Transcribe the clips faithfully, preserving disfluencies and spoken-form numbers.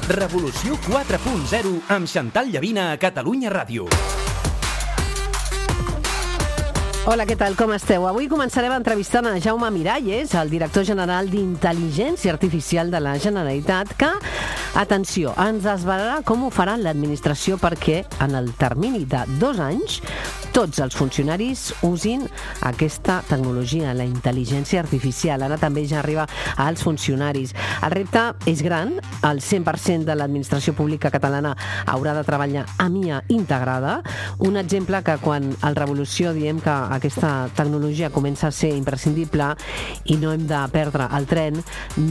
Revolució quatre punt zero amb Xantal Llavina a Catalunya Ràdio. Hola, què tal? Com esteu? Avui començarem entrevistant a Jaume Miralles, el director general d'Intel·ligència Artificial de la Generalitat, que, atenció, ens desvelarà com ho farà l'administració perquè en el termini de dos anys tots els funcionaris usin aquesta tecnologia, la intel·ligència artificial. Ara també ja arriba als funcionaris. El repte és gran, el cent per cent de l'administració pública catalana haurà de treballar amb I A integrada. Un exemple que quan al Revolució diem que aquesta tecnologia comença a ser imprescindible i no hem de perdre el tren,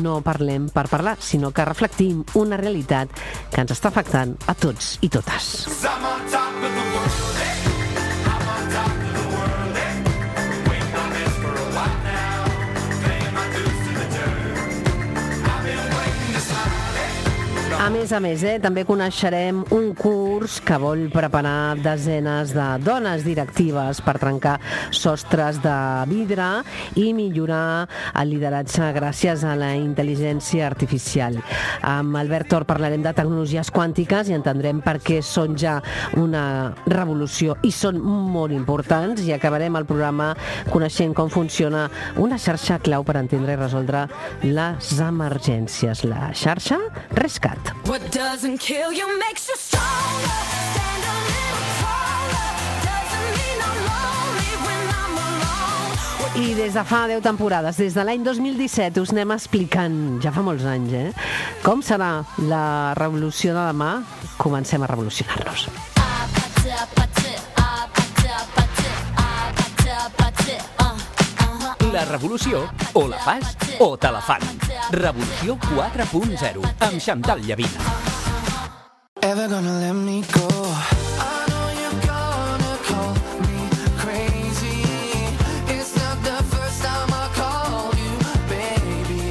no parlem per parlar, sinó que reflectim una realitat que ens està afectant a tots i totes. A més a més, eh, també coneixerem un curs que vol preparar desenes de dones directives per trencar sostres de vidre i millorar el lideratge gràcies a la intel·ligència artificial. Amb Albert Tor parlarem de tecnologies quàntiques i entendrem per què són ja una revolució i són molt importants, i acabarem el programa coneixent com funciona una xarxa clau per entendre i resoldre les emergències, la xarxa Rescat. What doesn't kill you makes you stronger. Stand a little taller. Doesn't mean I'm lonely when I'm alone. I des de fa deu temporades, des de l'any dos mil disset, us anem explicant, ja fa molts anys, eh? Com serà la revolució de demà? Comencem a revolucionar-nos. La revolució, o la fas o te la fan. Revolució quatre punt zero amb Xantal Llavina. Ever gonna let me go? I know you're gonna call me crazy. It's not the first time I called you, baby.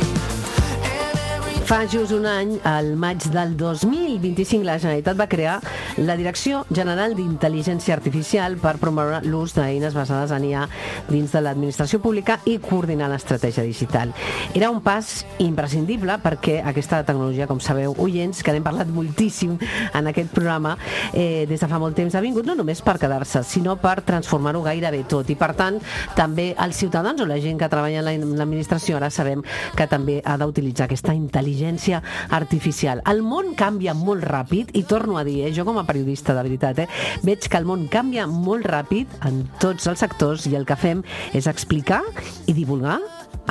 And every... Fa just un any, al maig del dos mil vint-i-cinc, la Generalitat va crear la Direcció General d'Intel·ligència Artificial per promoure l'ús d'eines basades en I A dins de l'administració pública i coordinar l'estratègia digital. Era un pas imprescindible perquè aquesta tecnologia, com sabeu, oients, que n'hem parlat moltíssim en aquest programa, eh, des de fa molt temps ha vingut no només per quedar-se, sinó per transformar-ho gairebé tot. I, per tant, també els ciutadans o la gent que treballa en l'administració ara sabem que també ha d'utilitzar aquesta intel·ligència artificial. El món canvia molt ràpid i torno a dir, eh, jo com a periodista, de veritat, eh, veig que el món canvia molt ràpid en tots els sectors i el que fem és explicar i divulgar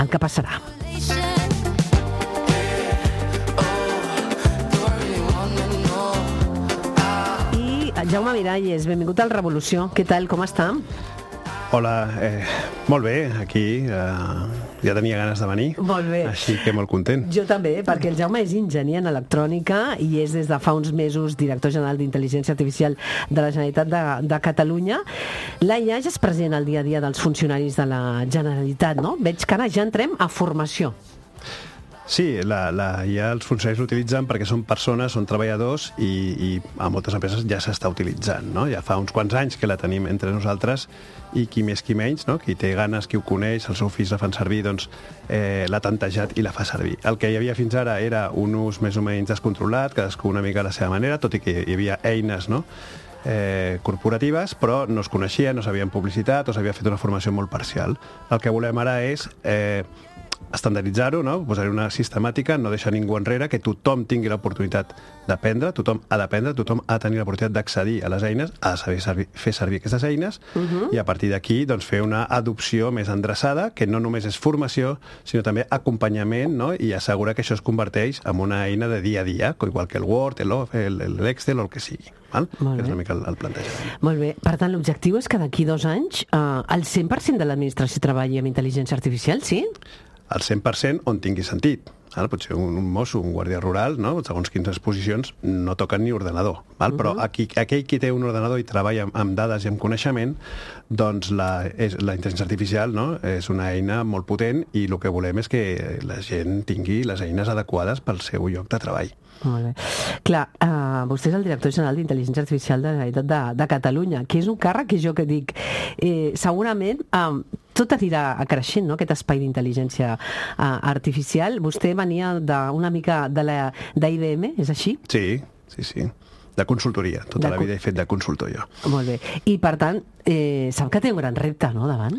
el que passarà. I Jaume Miralles, benvingut al Revolució. Què tal, com està? Hola, eh, molt bé, aquí eh, ja tenia ganes de venir, Molt bé. així que molt content. Jo també, perquè el Jaume és enginyer en electrònica i és des de fa uns mesos director general d'Intel·ligència Artificial de la Generalitat de, de Catalunya. La I A ja és present al dia a dia dels funcionaris de la Generalitat, no? Veig que ara ja entrem a formació. Sí, la, la, ja els funcionaris l'utilitzen perquè són persones, són treballadors i, i a moltes empreses ja s'està utilitzant, no? Ja fa uns quants anys que la tenim entre nosaltres i qui més qui menys, no? Qui té ganes, qui ho coneix, els seus fills la fan servir, doncs eh, l'ha tantejat i la fa servir. El que hi havia fins ara era un ús més o menys descontrolat, cadascú una mica a la seva manera, tot i que hi havia eines, no? Eh, corporatives, però no es coneixien, no s'havien publicitat o s'havia fet una formació molt parcial. El que volem ara és eh, estandarditzar-ho, no? Posar-hi una sistemàtica, no deixar ningú enrere, que tothom tingui l'oportunitat d'aprendre, tothom ha d'aprendre, tothom ha de tenir l'oportunitat d'accedir a les eines, ha de saber servir, fer servir aquestes eines, uh-huh. i a partir d'aquí doncs, fer una adopció més endreçada, que no només és formació, sinó també acompanyament, no? I assegurar que això es converteix en una eina de dia a dia, igual que el Word, l'Excel o el que sigui. Val? És una mica el, el plantejament. Molt bé. Per tant, l'objectiu és que d'aquí dos anys eh, el cent per cent de l'administració treballi amb intel·ligència artificial, sí? El cent per cent on tingui sentit. Val? Potser un, un mosso, un guàrdia rural, no? Segons quines posicions, no toquen ni ordenador. Val? Però uh-huh. aquí, aquell qui té un ordenador i treballa amb, amb dades i amb coneixement, doncs la, és, la intel·ligència artificial, no? És una eina molt potent i el que volem és que la gent tingui les eines adequades pel seu lloc de treball. Molt bé. Clar, uh, vostè és el director general d'Intel·ligència Artificial de la Generalitat de, de Catalunya, que és un càrrec que jo que dic, eh, segurament uh, tot anirà creixent, no?, aquest espai d'intel·ligència uh, artificial. Vostè venia d'una mica de la d'I B M, és així? Sí, sí, sí. De consultoria. Tota De la co- vida he fet de consultor jo. Molt bé. I, per tant, eh, sap que té un gran repte, no?, davant?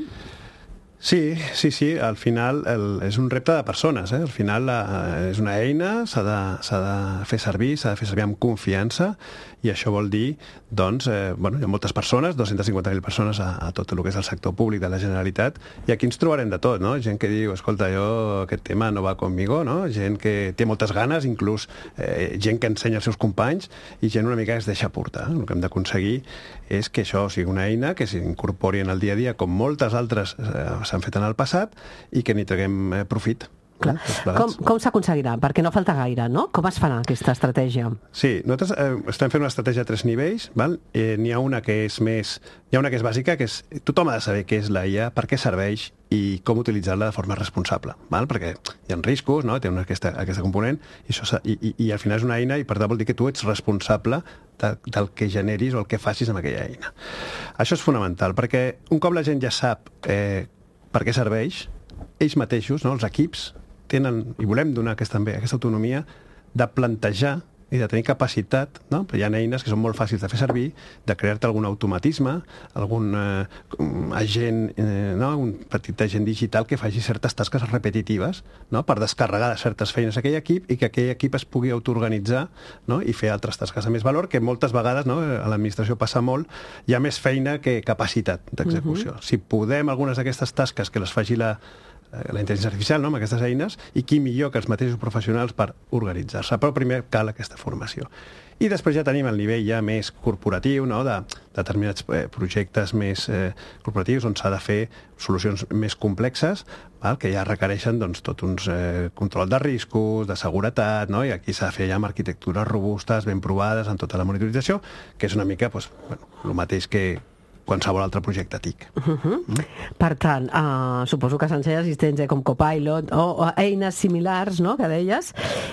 Sí, sí, sí, al final el, és un repte de persones, eh? Al final la, és una eina, s'ha de, s'ha de fer servir, s'ha de fer servir amb confiança, i això vol dir, doncs, eh, bueno, hi ha moltes persones, dues-centes cinquanta mil persones a, a tot el que és el sector públic de la Generalitat, i aquí ens trobarem de tot, no? Gent que diu, escolta, jo aquest tema no va conmigo, no? Gent que té moltes ganes, inclús eh, gent que ensenya als seus companys, i gent una mica que es deixa portar. El que hem d'aconseguir és que això sigui una eina que s'incorpori en el dia a dia, com moltes altres eh, s'han fet en el passat, i que n'hi traguem eh, profit. Clar. Com, com s'aconseguirà? Perquè no falta gaire, no? Com es farà aquesta estratègia? Sí, nosaltres eh, estem fent una estratègia a tres nivells, val? Eh, n'hi ha una que és més... Hi ha una que és bàsica, que és... Tothom ha de saber què és la I A, per què serveix i com utilitzar-la de forma responsable, val? Perquè hi ha riscos, no? Té una, aquesta, aquesta component, i, això, s'ha- i, i, i al final és una eina, i per tant vol dir que tu ets responsable de, del que generis o el que facis amb aquella eina. Això és fonamental, perquè un cop la gent ja sap eh, per què serveix, ells mateixos, no? Els equips, tenen, i volem donar aquesta, també, aquesta autonomia de plantejar i de tenir capacitat, no? Hi ha eines que són molt fàcils de fer servir, de crear-te algun automatisme, algun eh, agent, eh, no? Un petit agent digital que faci certes tasques repetitives, no? Per descarregar de certes feines a aquell equip i que aquell equip es pugui autoorganitzar, no? I fer altres tasques de més valor, que moltes vegades, no? A l'administració passa molt, hi ha més feina que capacitat d'execució. Uh-huh. Si podem algunes d'aquestes tasques que les faci la la intel·ligència artificial, no?, amb aquestes eines, i qui millor que els mateixos professionals per organitzar-se. Però primer cal aquesta formació. I després ja tenim el nivell ja més corporatiu, no?, de determinats eh, projectes més eh, corporatius on s'ha de fer solucions més complexes, val? Que ja requereixen doncs, tot uns eh, control de riscos, de seguretat, no?, i aquí s'ha de fer ja amb arquitectures robustes, ben provades, en tota la monitorització, que és una mica doncs, bueno, el mateix que qualsevol altre projecte T I C. Uh-huh. Mm. Per tant, uh, suposo que s'ensenya assistents eh, com Copilot o, o eines similars, no?, que deies,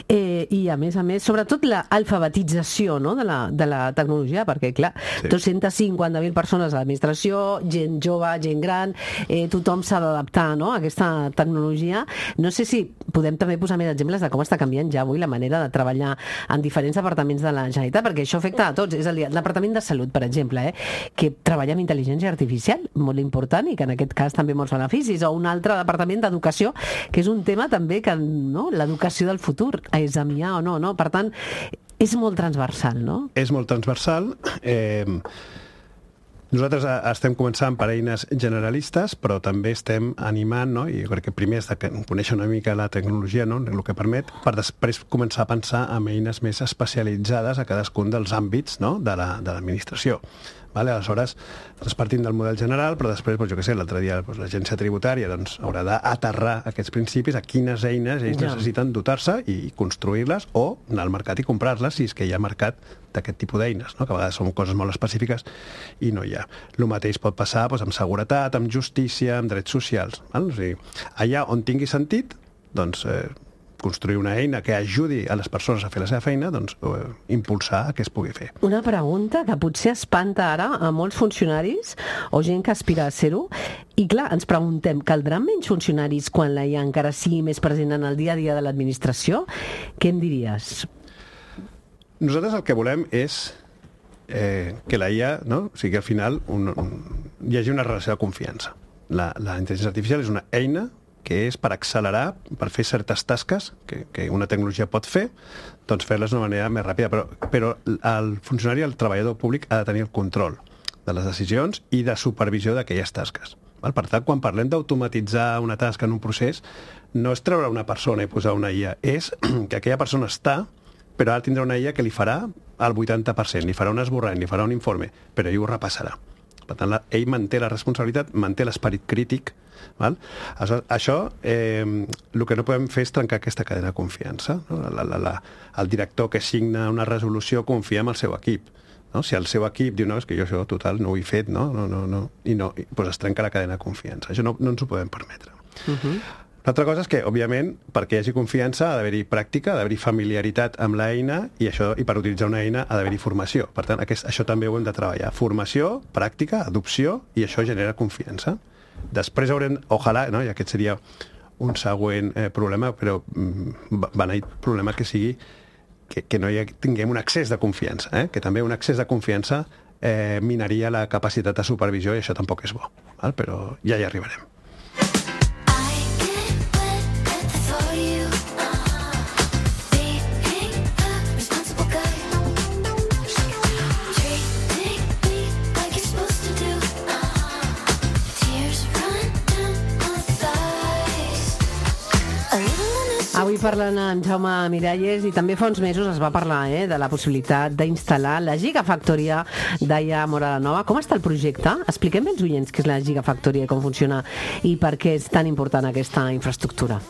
eh, i a més a més, sobretot l'alfabetització, no?, de, la, de la tecnologia, perquè, clar, Sí. dues-centes cinquanta mil persones a l'administració, gent jove, gent gran, eh, tothom s'ha d'adaptar, no?, a aquesta tecnologia. No sé si podem també posar més exemples de com està canviant ja avui la manera de treballar en diferents departaments de la Generalitat, perquè això afecta a tots. És a dir, el Departament de Salut, per exemple, eh, que treballa amb intel·ligència artificial, molt important, i que en aquest cas també molts beneficis, o un altre departament d'educació, que és un tema també que, no?, l'educació del futur, és amb I A o no, no? Per tant, és molt transversal, no? És molt transversal. Eh, nosaltres eh, estem començant per eines generalistes, però també estem animant, no? I jo crec que primer és de conèixer una mica la tecnologia, no?, el que permet, per després començar a pensar en eines més especialitzades a cadascun dels àmbits, no?, de la, de l'administració. Vale? Aleshores, nosaltres partim del model general, però després, doncs, jo què sé, l'altre dia doncs, l'agència tributària doncs, haurà d'aterrar aquests principis a quines eines ells Ja. necessiten dotar-se i construir-les, o anar al mercat i comprar-les si és que hi ha mercat d'aquest tipus d'eines, no? Que a vegades són coses molt específiques i no hi ha. El mateix pot passar doncs, amb seguretat, amb justícia, amb drets socials. Val? O sigui, allà on tingui sentit, doncs, eh, construir una eina que ajudi a les persones a fer la seva feina, doncs eh, impulsar a que es pugui fer. Una pregunta que potser espanta ara a molts funcionaris o gent que aspira a ser-ho. I clar, ens preguntem, caldran menys funcionaris quan la I A encara sigui més present en el dia a dia de l'administració? Què em diries? Nosaltres el que volem és eh, que la I A, no? O sigui, que al final un, un, hi hagi una relació de confiança. La, la intel·ligència artificial és una eina que és per accelerar, per fer certes tasques que, que una tecnologia pot fer, doncs fer-les d'una manera més ràpida. Però, però el funcionari, el treballador públic, ha de tenir el control de les decisions i de supervisió d'aquelles tasques. Val? Per tant, quan parlem d'automatitzar una tasca en un procés, no és treure una persona i posar una I A, és que aquella persona està, però ara tindrà una I A que li farà el vuitanta per cent, li farà un esborrany, li farà un informe, però ell ho repassarà. Per tant, la, ell manté la responsabilitat, manté l'esperit crític. Val? Això, això eh, el que no podem fer és trencar aquesta cadena de confiança. No? La, la, la, el director que signa una resolució confia en el seu equip. No? Si el seu equip diu, no, és que jo això total no ho he fet, no? No, no, no. I no, i, doncs es trenca la cadena de confiança. Això no, no ens ho podem permetre. Uh-huh. L'altra cosa és que, òbviament, perquè hi hagi confiança ha d'haver-hi pràctica, ha d'haver-hi familiaritat amb l'eina, i, això, i per utilitzar una eina ha d'haver-hi formació. Per tant, aquest, això també ho hem de treballar. Formació, pràctica, adopció, i això genera confiança. Després haurem, ojalà, no? I aquest seria un següent eh, problema, però mm, beneït problema que sigui que, que no hi ha, tinguem un excés de confiança, eh? Que també un excés de confiança eh, minaria la capacitat de supervisió i això tampoc és bo, val? Però ja hi arribarem. Avui parlant amb Jaume Miralles i també fa uns mesos es va parlar eh, de la possibilitat d'instal·lar la Gigafactoria d'Aia Móra la Nova. Com està el projecte? Expliquem bé als oients què és la Gigafactoria i com funciona i per què és tan important aquesta infraestructura.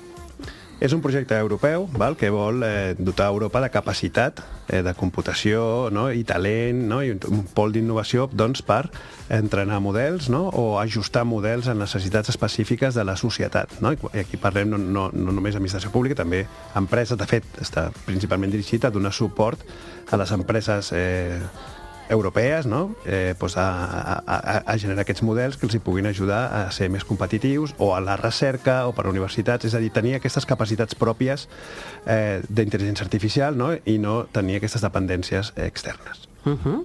És un projecte europeu, val, que vol eh, dotar Europa de capacitat eh, de computació, no? I talent, no? I un pol d'innovació doncs, per entrenar models, no? O ajustar models a necessitats específiques de la societat. No? I aquí parlem no, no, no només d'administració pública, també empreses. De fet, està principalment dirigit a donar suport a les empreses eh, europees, no? eh, pues a, a, a generar aquests models que els hi puguin ajudar a ser més competitius, o a la recerca o per a universitats, és a dir, tenir aquestes capacitats pròpies eh, d'intel·ligència artificial, no? I no tenir aquestes dependències externes. Uh -huh.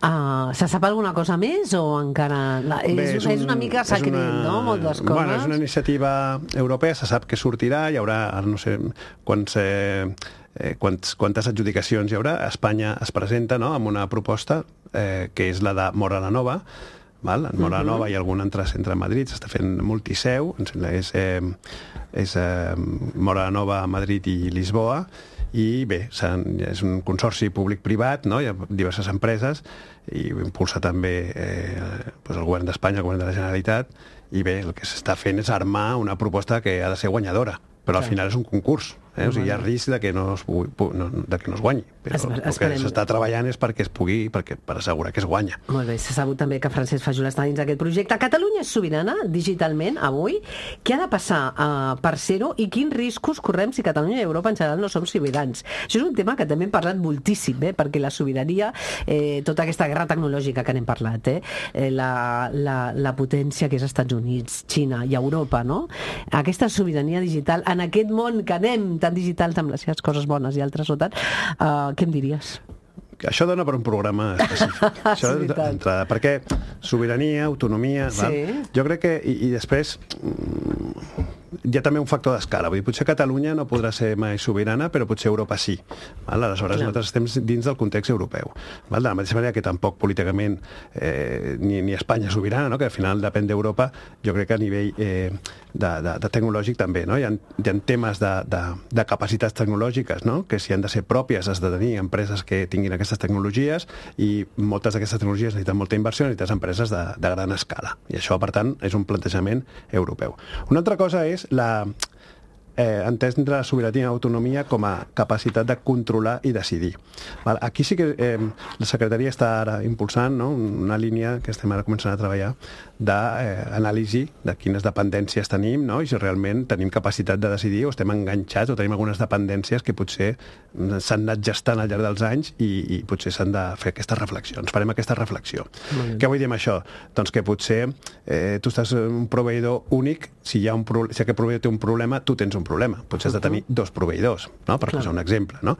uh, se sap alguna cosa més o encara... La, és, Bé, és, un, és una mica secret, una, no? Moltes coses. Bueno, és una iniciativa europea, se sap que sortirà, hi haurà, ara no sé, quants... Eh, Eh, quants, quantes adjudicacions hi haurà. Espanya es presenta, no?, amb una proposta eh, que és la de Móra la Nova, val? En Móra la Nova hi ha algun altre centre a Madrid, s'està fent multiseu, em sembla, és, eh, és eh, Móra la Nova, Madrid i Lisboa, i bé, és un consorci públic-privat, no? Hi ha diverses empreses, i impulsa també eh, doncs el govern d'Espanya, el govern de la Generalitat, i bé, el que s'està fent és armar una proposta que ha de ser guanyadora, però al final és un concurs. Eh? O sigui, hi ha risc de que no es, pugui, no, de que no es guanyi, però es, el que s'està treballant és perquè es pugui, perquè, per assegurar que es guanya. Molt bé, s'ha sabut també que Francesc Fajola està dins d'aquest projecte. Catalunya és sobirana digitalment avui. Què ha de passar uh, per ser-ho i quins riscos correm si Catalunya i Europa en general no som sobirans? Això és un tema que també hem parlat moltíssim, eh? Perquè la sobirania, eh, tota aquesta guerra tecnològica que n'hem parlat, eh? Eh, la, la, la potència que és Estats Units, Xina i Europa, no? Aquesta sobirania digital en aquest món que anem tan digitals amb les seves coses bones i altres no tant, uh, què em diries? Això dona per un programa específic. Això d'entrada, perquè sobirania, autonomia... Sí. Val? Jo crec que... I, i després... hi ha també un factor d'escala. Vull dir, potser Catalunya no podrà ser mai sobirana, però potser Europa sí. Val? Aleshores, Clar. nosaltres estem dins del context europeu. Val? De la mateixa manera que tampoc políticament eh, ni, ni Espanya és sobirana, no? Que al final depèn d'Europa, jo crec que a nivell eh, de, de, de tecnològic també. No? Hi ha, hi ha temes de, de, de capacitats tecnològiques, no? Que si han de ser pròpies has de tenir empreses que tinguin aquestes tecnologies, i moltes d'aquestes tecnologies necessiten molta inversió, necessites empreses de, de gran escala. I això, per tant, és un plantejament europeu. Una altra cosa és la eh, entendre la sobirania i l'autonomia com a capacitat de controlar i decidir. Val? Aquí sí que eh, la Secretaria està ara impulsant, no?, una línia que estem ara començant a treballar d'anàlisi de, eh, de quines dependències tenim, no?, i si realment tenim capacitat de decidir o estem enganxats o tenim algunes dependències que potser s'han anat gestant al llarg dels anys i, i potser s'han de fer aquestes reflexions. Farem aquesta reflexió. Què vull dir amb això? Doncs que potser eh, tu estàs un proveïdor únic, si, hi ha un pro... si aquest proveïdor té un problema, tu tens un problema. Potser has de tenir dos proveïdors, no?, per posar un exemple, no?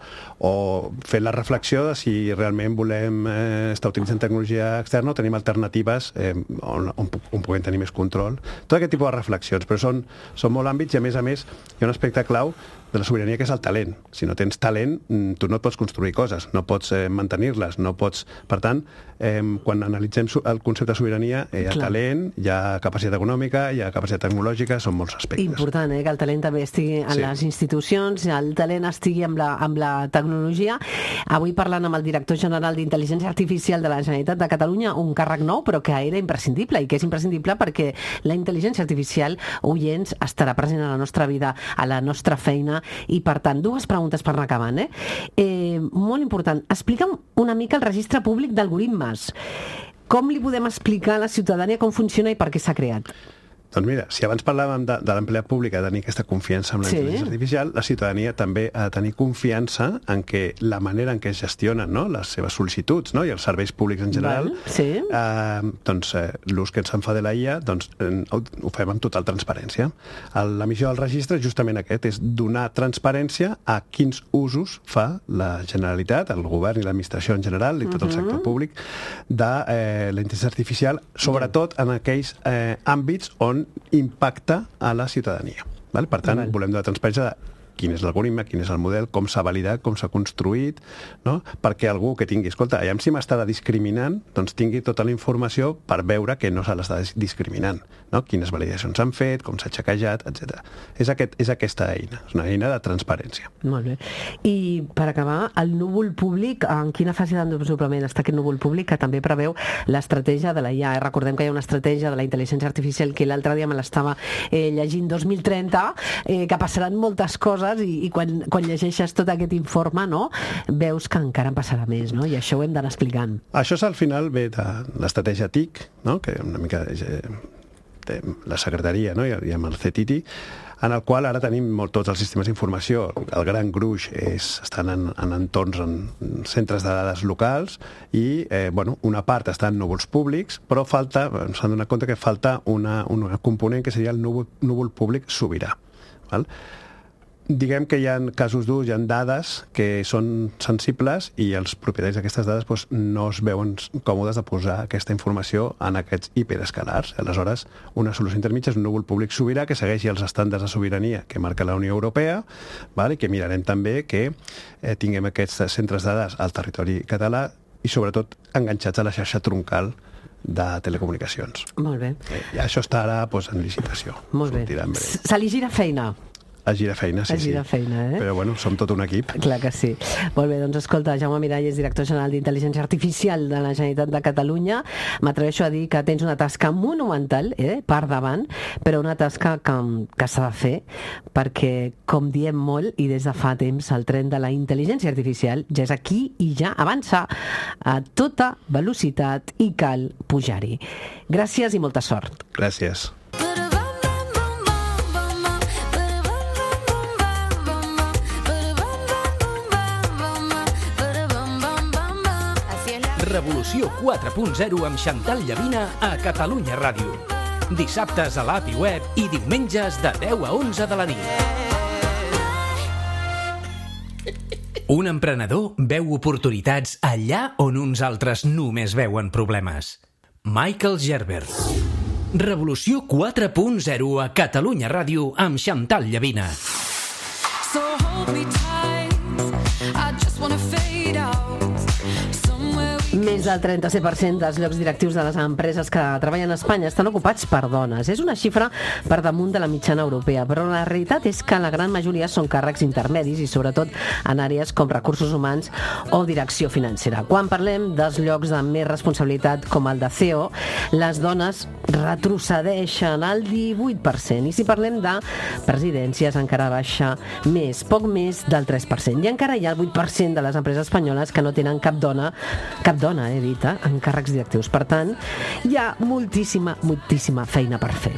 O fer la reflexió de si realment volem eh, estar utilitzant tecnologia externa o tenim alternatives eh, on, on, on puguem tenir més control. Tot aquest tipus de reflexions, però són, són molt àmbits i, a més a més, hi ha un aspecte clau de la sobirania, que és el talent. Si no tens talent, tu no et pots construir coses, no pots eh, mantenir-les, no pots... Per tant, eh, quan analitzem el concepte de sobirania, hi ha Clar. talent, hi ha capacitat econòmica, hi ha capacitat tecnològica, són molts aspectes. Important, eh, que el talent també estigui en sí. les institucions, el talent estigui amb la, amb la tecnologia. Avui parlant amb el director general d'Intel·ligència Artificial de la Generalitat de Catalunya, un càrrec nou, però que era imprescindible, i que és imprescindible perquè la intel·ligència artificial, oients, estarà present a la nostra vida, a la nostra feina. I, per tant, dues preguntes per anar acabant. Eh? Eh, molt important. Explica'm una mica el registre públic d'algoritmes. Com li podem explicar a la ciutadania com funciona i per què s'ha creat? Doncs mira, si abans parlàvem de, de l'empleat públic, de tenir aquesta confiança en la Sí. intel·ligència artificial, la ciutadania també ha de tenir confiança en que la manera en què es gestionen, no?, les seves sol·licituds, no?, i els serveis públics en general, Val, sí. eh, doncs eh, l'ús que ens en fa de la I A, doncs eh, ho, ho fem amb total transparència. El- La missió del registre és justament aquest, és donar transparència a quins usos fa la Generalitat, el govern i l'administració en general, i tot el sector públic, de eh, la intel·ligència artificial, sobretot en aquells eh, àmbits on impacta a la ciutadania. Val? Per tant, Val. volem donar transparència de quin és l'algoritme, quin és el model, com s'ha validat, com s'ha construït, no? Perquè algú que tingui, escolta, aviam si m'estarà discriminant, doncs tingui tota la informació per veure que no se l'està dis- discriminant, no? Quines validacions s'han fet, com s'ha xequejat, etcètera. És, aquest, és aquesta eina, és una eina de transparència. Molt bé. I per acabar, el núvol públic, en quina fase de desenvolupament està aquest núvol públic que també preveu l'estratègia de la I A? Recordem que hi ha una estratègia de la intel·ligència artificial que l'altre dia me l'estava eh, llegint dos mil trenta, eh, que passaran moltes coses i, i quan, quan llegeixes tot aquest informe, no, veus que encara en passarà més, no? I això ho hem d'anar explicant. Això és al final ve de l'estratègia T I C, no? Que una mica eh, té la secretaria, no? I, i amb el C T I T I, en el qual ara tenim molt, tots els sistemes d'informació. El gran gruix és, estan en, en entorns, en centres de dades locals i eh, bueno, una part està en núvols públics, però falta, s'han donat compte que falta una, una component que seria el núvol, núvol públic sobirà. Val? Diguem que hi ha casos d'ús, hi ha dades que són sensibles i els propietaris d'aquestes dades doncs, no es veuen còmodes de posar aquesta informació en aquests hiperescalars. Aleshores, una solució intermitja és un núvol públic sobirà que segueixi els estàndards de sobirania que marca la Unió Europea, val? I que mirarem també que eh, tinguem aquests centres de dades al territori català i sobretot enganxats a la xarxa troncal de telecomunicacions. Molt bé. Eh, I això està ara doncs, en licitació. Molt bé. Sortirà en breu. Se li gira feina. A gira feina, sí, A gira sí. feina, eh? Però bueno, som tot un equip. Clar que sí. Molt bé, doncs escolta, Jaume Miralles, director general d'Intel·ligència Artificial de la Generalitat de Catalunya, m'atreveixo a dir que tens una tasca monumental, eh, per davant, però una tasca que, que s'ha de fer, perquè, com diem molt, i des de fa temps, el tren de la intel·ligència artificial ja és aquí i ja avança a tota velocitat i cal pujar-hi. Gràcies i molta sort. Gràcies. Revolució quatre punt zero amb Xantal Llavina a Catalunya Ràdio. Dissabtes a l'A P I Web i diumenges de deu a onze de la nit. Un emprenedor veu oportunitats allà on uns altres només veuen problemes. Michael Gerber. Revolució quatre punt zero a Catalunya Ràdio amb Xantal Llavina. So hold me tight, I just wanna fade out somewhere we Més del trenta-set per cent dels llocs directius de les empreses que treballen a Espanya estan ocupats per dones. És una xifra per damunt de la mitjana europea, però la realitat és que la gran majoria són càrrecs intermedis i sobretot en àrees com recursos humans o direcció financera. Quan parlem dels llocs de més responsabilitat com el de C E O, les dones retrocedeixen al divuit per cent. I si parlem de presidències, encara baixa més, poc més del tres per cent. I encara hi ha el vuit per cent de les empreses espanyoles que no tenen cap dona, cap dona, he dit, eh, en càrrecs directius. Per tant, hi ha moltíssima, moltíssima feina per fer.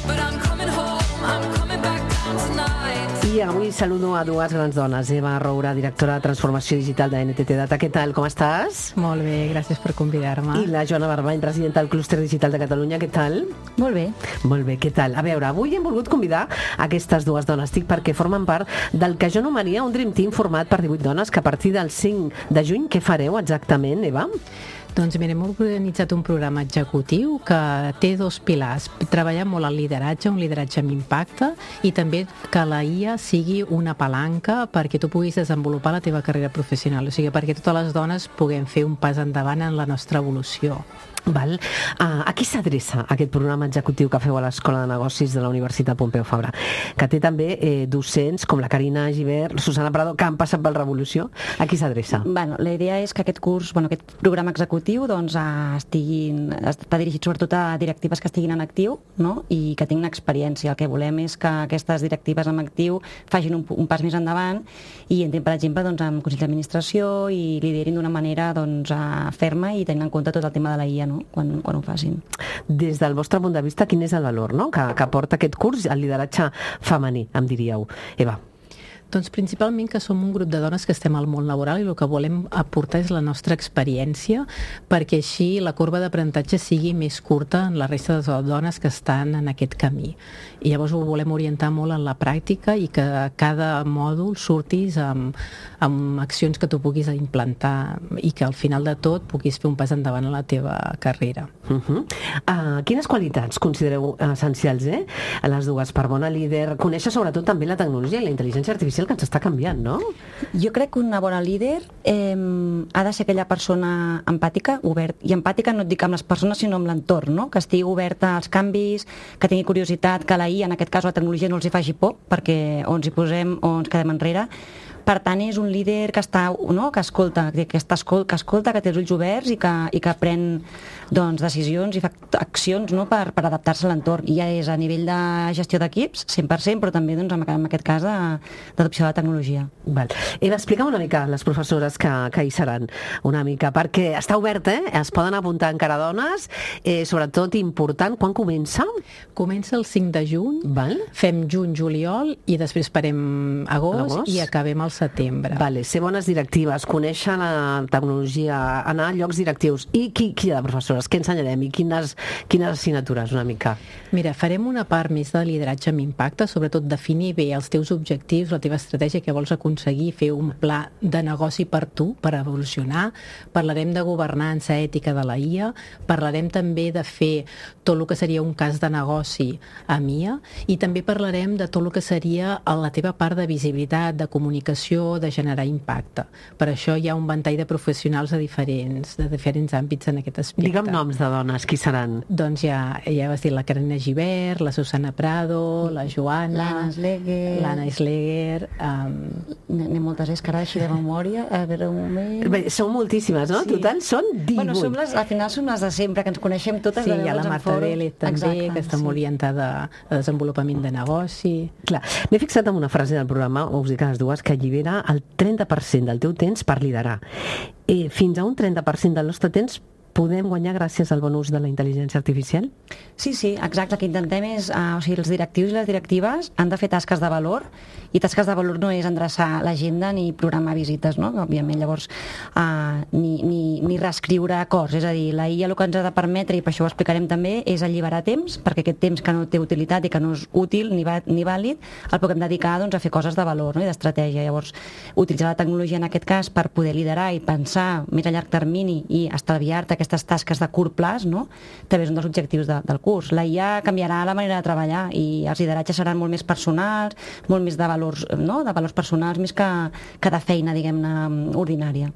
but I'm coming home, I'm coming back down tonight. I avui saludo a dues grans dones. Eva Roura, directora de Transformació Digital de N T T Data. Què tal, com estàs? Molt bé, gràcies per convidar-me. I la Joana Barbany, presidenta del Clúster Digital de Catalunya. Què tal? Molt bé. Molt bé, què tal? A veure, avui hem volgut convidar aquestes dues dones TIC perquè formen part del que jo anomenaria un Dream Team format per divuit dones que a partir del cinc de juny, què fareu exactament, Eva? Doncs mira, hem organitzat un programa executiu que té dos pilars. Treballar molt el lideratge, un lideratge amb impacte, i també que la I A sigui una palanca perquè tu puguis desenvolupar la teva carrera professional, o sigui, perquè totes les dones puguem fer un pas endavant en la nostra evolució. Val. Uh, a qui s'adreça aquest programa executiu que feu a l'Escola de Negocis de la Universitat Pompeu Fabra? Que té també eh, docents com la Carina Givert, Susana Prado, que han passat per Revolució. A qui s'adreça? Bueno, la idea és que aquest curs, bueno, aquest programa executiu doncs, eh, estiguin, està dirigit sobretot a directives que estiguin en actiu, no? I que tinguin experiència. El que volem és que aquestes directives en actiu facin un, un pas més endavant i entrin, per exemple, doncs, amb Consell d'Administració i liderin d'una manera doncs, eh, ferma i tenint en compte tot el tema de la I A. No? no? quan, quan ho facin. Des del vostre punt de vista, quin és el valor, no?, que, que porta aquest curs, el lideratge femení, em diríeu. Eva. Doncs principalment que som un grup de dones que estem al món laboral i el que volem aportar és la nostra experiència perquè així la corba d'aprenentatge sigui més curta en la resta de dones que estan en aquest camí. I llavors ho volem orientar molt en la pràctica i que cada mòdul surtis amb, amb accions que tu puguis implantar i que al final de tot puguis fer un pas endavant a la teva carrera. Uh -huh. uh, quines qualitats considereu essencials, eh? A les dues, per bona líder, conèixer sobretot també la tecnologia i la intel·ligència artificial que ens està canviant, no? Jo crec que una bona líder eh, ha de ser aquella persona empàtica, obert, i empàtica no et dic amb les persones sinó amb l'entorn, no? Que estigui oberta als canvis, que tingui curiositat, que la I A, en aquest cas la tecnologia, no els hi faci por, perquè o ens hi posem o ens quedem enrere. Per tant, és un líder que està, no? que escolta, que, està, que escolta, que té els ulls oberts i que, i que pren doncs, decisions i fa accions, no? per, per adaptar-se a l'entorn. I ja és a nivell de gestió d'equips, cent per cent, però també doncs, en, en aquest cas d'adopció de la tecnologia. Val. Eva, explica'm una mica les professores que, que hi seran, una mica, perquè està obert, eh? Es poden apuntar encara dones, eh, sobretot important, quan comença? Comença el cinc de juny, Val. Fem juny, juliol i després farem agost, Agost. i acabem al setembre. Vale, ser bones directives, conèixer la tecnologia, anar a llocs directius. I qui, qui hi ha de professores? Què ensenyarem? I quines, quines assignatures, una mica? Mira, farem una part més de lideratge amb impacte, sobretot definir bé els teus objectius, la teva estratègia, que vols aconseguir, fer un pla de negoci per tu, per evolucionar. Parlarem de governança ètica de la I A, parlarem també de fer tot el que seria un cas de negoci a M I A i també parlarem de tot el que seria la teva part de visibilitat, de comunicació, de generar impacte. Per això hi ha un ventall de professionals de diferents, de diferents àmbits en aquest aspecte. Digue'm noms de dones, qui seran? Doncs ja, ja vas dir la Carina Gibert, la Susana Prado, la Joana, L'Anna Sleger. l'Anna Sleger. Um... N'hi ha moltes, és que ara així de memòria, a veure un moment... Bé, són moltíssimes, no? Sí. Total, són divuit. Bueno, som les, al final som les de sempre, que ens coneixem totes. Sí, de hi ha la veure'ns en Marta fòrum. Vélez també, Exacte, que està sí. molt orientada a desenvolupament de negoci. Clar, m'he fixat en una frase del programa, us dic a les dues, que allibera el trenta per cent del teu temps per liderar. Eh, fins a un trenta per cent del nostre temps podem guanyar gràcies al bon ús de la intel·ligència artificial? Sí, sí, exacte. El que intentem és, uh, o sigui, els directius i les directives han de fer tasques de valor, i tasques de valor no és endreçar l'agenda ni programar visites, no? Òbviament, llavors, uh, ni, ni, ni reescriure acords. És a dir, la I A el que ens ha de permetre, i per això ho explicarem també, és alliberar temps, perquè aquest temps que no té utilitat i que no és útil ni, va, ni vàlid, el puguem dedicar doncs, a fer coses de valor, no? I d'estratègia. Llavors, utilitzar la tecnologia en aquest cas per poder liderar i pensar més a llarg termini i estalviar-te aquestes tasques de curt plaç, no? També és un dels objectius de, del curs. La I A canviarà la manera de treballar i els lideratges seran molt més personals, molt més de valors, no? de valors personals, més que, que de feina, diguem-ne, ordinària.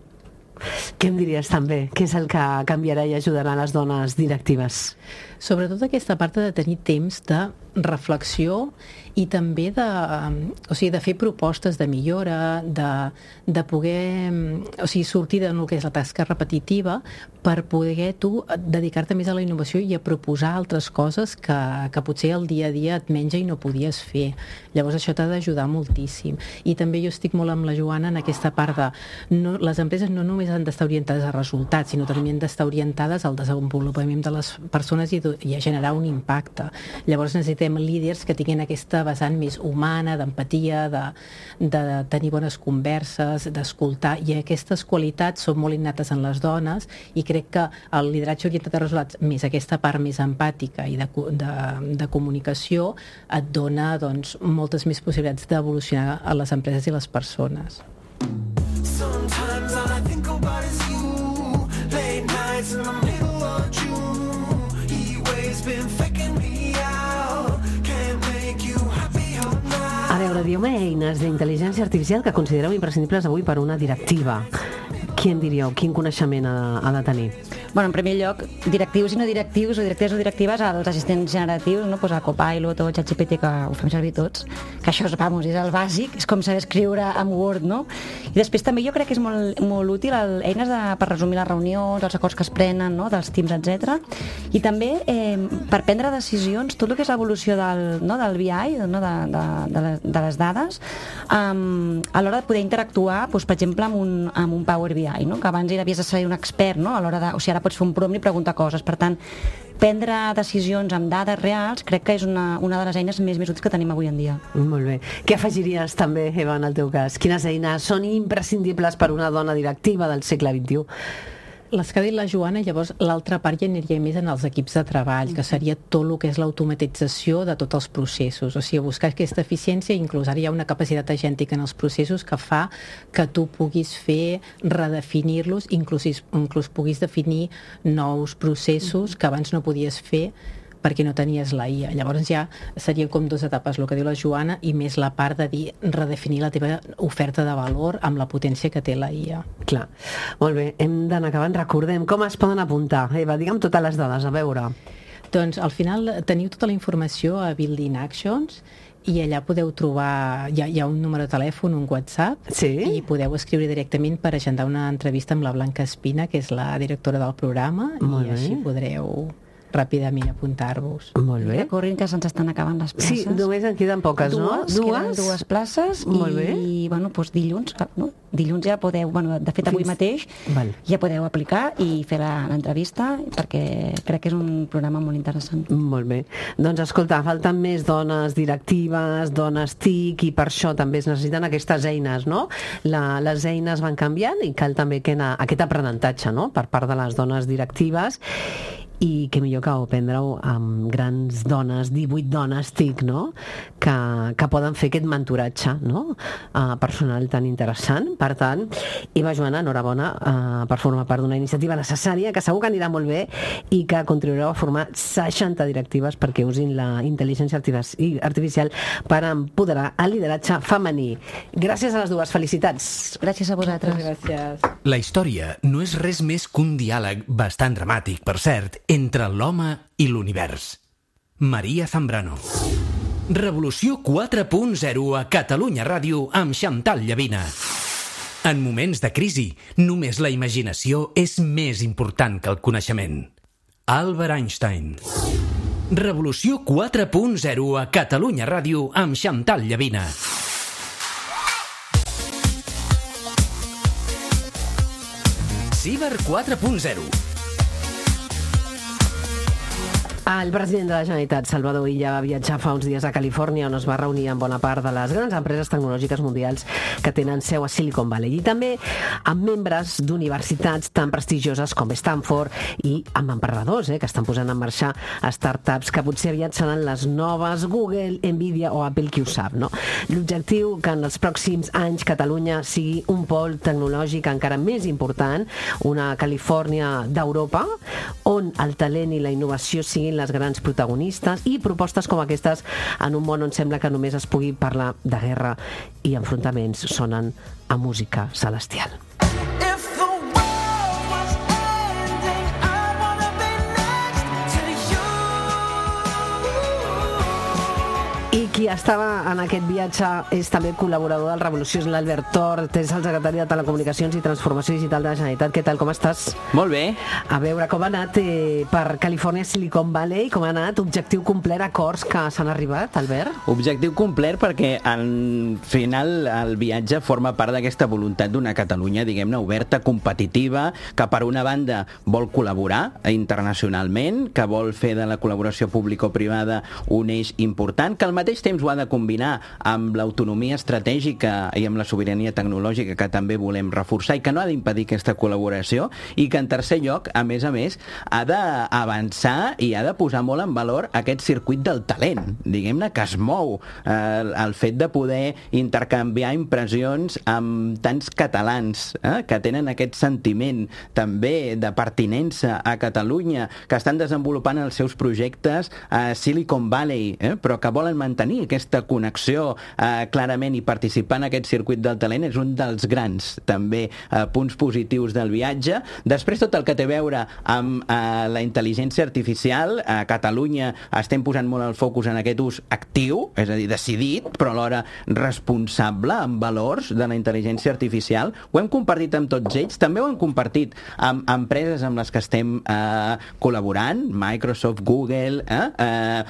Què em diries també? Què és el que canviarà i ajudarà les dones directives? Sobretot aquesta part de tenir temps de reflexió i també de, o sigui, de fer propostes de millora, de, de poder, o sigui, sortir de el que és la tasca repetitiva per poder tu dedicar-te més a la innovació i a proposar altres coses que, que potser el dia a dia et menja i no podies fer. Llavors això t'ha d'ajudar moltíssim. I també jo estic molt amb la Joana en aquesta part de no, les empreses no només han d'estar orientades a resultats, sinó també han d'estar orientades al desenvolupament de les persones i, i a generar un impacte. Llavors necessitem líders que tinguin aquesta vessant més humana, d'empatia, de, de tenir bones converses, d'escoltar, i aquestes qualitats són molt innates en les dones, i crec que el lideratge orientat a resultats, més aquesta part més empàtica i de, de, de comunicació, et dona doncs, moltes més possibilitats d'evolucionar a les empreses i les persones. Sometimes all I think about is you. Late nights in the middle of June. He waves been faking me out. Can't make you happy all night. A veure, dieu-me eines d'intel·ligència artificial que considereu imprescindibles avui per una directiva. Qui en diríeu? Quin coneixement ha, ha de tenir? Bueno, en primer lloc, directius i no directius, o directives o directives, als assistents generatius, no? Pues a Copilot o ChatGPT, que ho fem servir tots, que això és, vamos, és el bàsic, és com saber escriure amb Word, no? I després també jo crec que és molt, molt útil el, eines de, per resumir les reunions, els acords que es prenen, no? Dels teams, etcètera. I també eh, per prendre decisions, tot el que és l'evolució del, no? del B I, no? de, de, de, les, de les dades, um, a l'hora de poder interactuar, doncs, per exemple, amb un, amb un Power B I, no? Que abans havies de ser un expert, no? A l'hora de, o sigui, ara vegada pots fer un prompt i preguntar coses. Per tant, prendre decisions amb dades reals crec que és una, una de les eines més, més útils que tenim avui en dia. Molt bé. Què afegiries també, Eva, en el teu cas? Quines eines són imprescindibles per una dona directiva del segle vint-i-u? Les que ha dit la Joana, llavors l'altra part ja aniria més en els equips de treball, que seria tot el que és l'automatització de tots els processos, o sigui, buscar aquesta eficiència, inclús ara hi ha una capacitat agèntica en els processos que fa que tu puguis fer, redefinir-los, inclús, inclús puguis definir nous processos que abans no podies fer perquè no tenies la I A. Llavors ja serien com dues etapes, el que diu la Joana, i més la part de dir, redefinir la teva oferta de valor amb la potència que té la I A. Clar. Molt bé, hem d'anar acabant. Recordem com es poden apuntar. Eva, digue'm totes les dades, a veure. Doncs al final teniu tota la informació a Building Actions i allà podeu trobar, hi ha, hi ha un número de telèfon, un WhatsApp, sí? I podeu escriure directament per agendar una entrevista amb la Blanca Espina, que és la directora del programa, Molt i bé. així podreu ràpidament apuntar-vos. Molt bé. Corrin que se'ns estan acabant les places. Sí, només en queden poques, no? Dues, queden dues places. Molt i, bé. bueno, doncs dilluns, no? dilluns ja podeu, bueno, de fet avui Fins- mateix Val. ja podeu aplicar i fer la- l'entrevista perquè crec que és un programa molt interessant. Molt bé. Doncs escolta, falten més dones directives, dones T I C, i per això també es necessiten aquestes eines, no? La, les eines van canviant i cal també que na, aquest aprenentatge, no?, per part de les dones directives, i que millor que ho aprendre-ho amb grans dones, divuit dones T I C, no?, que, que poden fer aquest mentoratge, no?, uh, personal tan interessant. Per tant, Eva, Joana, enhorabona uh, per formar part d'una iniciativa necessària que segur que anirà molt bé i que contribuireu a formar seixanta directives perquè usin la intel·ligència artifici- artificial per empoderar el lideratge femení. Gràcies a les dues, felicitats. Gràcies a vosaltres. Gràcies. La història no és res més que un diàleg bastant dramàtic, per cert, entre l'home i l'univers. Maria Zambrano. Revolució quatre punt zero a Catalunya Ràdio amb Xantal Llavina. En moments de crisi, només la imaginació és més important que el coneixement. Albert Einstein. Revolució quatre punt zero a Catalunya Ràdio amb Xantal Llavina. Ciber quatre punt zero. El president de la Generalitat, Salvador Illa, va viatjar fa uns dies a Califòrnia, on es va reunir amb bona part de les grans empreses tecnològiques mundials que tenen seu a Silicon Valley, i també amb membres d'universitats tan prestigioses com Stanford i amb emprenedors eh, que estan posant en marxa startups que potser aviat seran les noves Google, Nvidia o Apple, qui ho sap, no? L'objectiu que en els pròxims anys Catalunya sigui un pol tecnològic encara més important, una Califòrnia d'Europa, on el talent i la innovació siguin les grans protagonistes, i propostes com aquestes en un món on sembla que només es pugui parlar de guerra i enfrontaments sonen a música celestial. If the world was ending, I wanna be next to you. I qui estava en aquest viatge és també col·laborador del Revolució, és l'Albert Tort, és el secretari de Telecomunicacions i Transformació Digital de la Generalitat. Què tal, com estàs? Molt bé. A veure, com ha anat eh, per Califòrnia, Silicon Valley, com ha anat, objectiu complert, acords que s'han arribat, Albert? Objectiu complert perquè al final el viatge forma part d'aquesta voluntat d'una Catalunya, diguem-ne, oberta, competitiva, que per una banda vol col·laborar internacionalment, que vol fer de la col·laboració público-privada un eix important, que al mateix temps ho ha de combinar amb l'autonomia estratègica i amb la sobirania tecnològica que també volem reforçar i que no ha d'impedir aquesta col·laboració, i que en tercer lloc, a més a més, ha d'avançar i ha de posar molt en valor aquest circuit del talent, diguem-ne, que es mou, eh, el fet de poder intercanviar impressions amb tants catalans eh, que tenen aquest sentiment també de pertinença a Catalunya, que estan desenvolupant els seus projectes a Silicon Valley, eh, però que volen mantenir aquesta connexió eh, clarament i participar en aquest circuit del talent és un dels grans també eh, punts positius del viatge. Després tot el que té a veure amb eh, la intel·ligència artificial, a Catalunya estem posant molt el focus en aquest ús actiu, és a dir, decidit, però alhora responsable, amb valors de la intel·ligència artificial. Ho hem compartit amb tots ells, també ho hem compartit amb empreses amb les que estem eh, col·laborant, Microsoft, Google, eh, eh,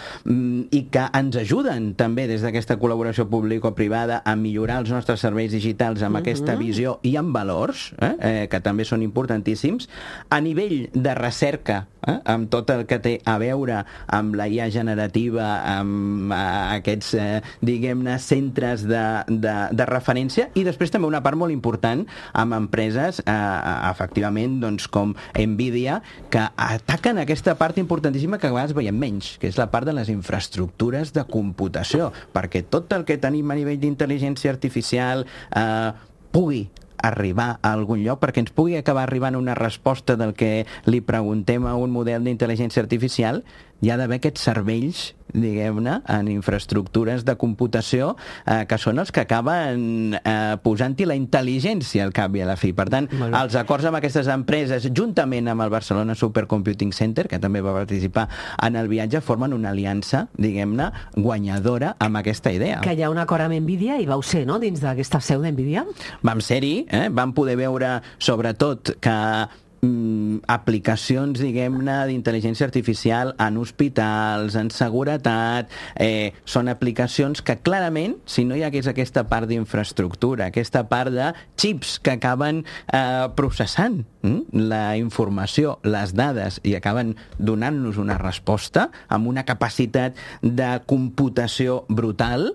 i que ens ajuden contribuint també des d'aquesta col·laboració público-privada a millorar els nostres serveis digitals amb uh-huh. aquesta visió i amb valors, eh? Eh, que també són importantíssims. A nivell de recerca, eh? amb tot el que té a veure amb la I A generativa, amb eh, aquests, eh, diguem-ne, centres de, de, de referència, i després també una part molt important amb empreses, eh, efectivament, doncs, com Nvidia, que ataquen aquesta part importantíssima que a vegades veiem menys, que és la part de les infraestructures de computació, perquè tot el que tenim a nivell d'intel·ligència artificial eh, pugui arribar a algun lloc, perquè ens pugui acabar arribant una resposta del que li preguntem a un model d'intel·ligència artificial, hi ha d'haver aquests cervells, diguem-ne, en infraestructures de computació eh, que són els que acaben eh, posant-hi la intel·ligència al cap i a la fi. Per tant, bueno, els acords amb aquestes empreses, juntament amb el Barcelona Supercomputing Center, que també va participar en el viatge, formen una aliança, diguem-ne, guanyadora amb aquesta idea. Que hi ha un acord amb Nvidia i vau ser, no?, dins d'aquesta seu d'Nvidia? Vam ser-hi, eh? Vam poder veure, sobretot, que Mm, aplicacions, diguem-ne, d'intel·ligència artificial en hospitals, en seguretat, eh, són aplicacions que clarament, si no hi hagués aquesta part d'infraestructura, aquesta part de xips que acaben eh, processant mm, la informació, les dades, i acaben donant-nos una resposta amb una capacitat de computació brutal,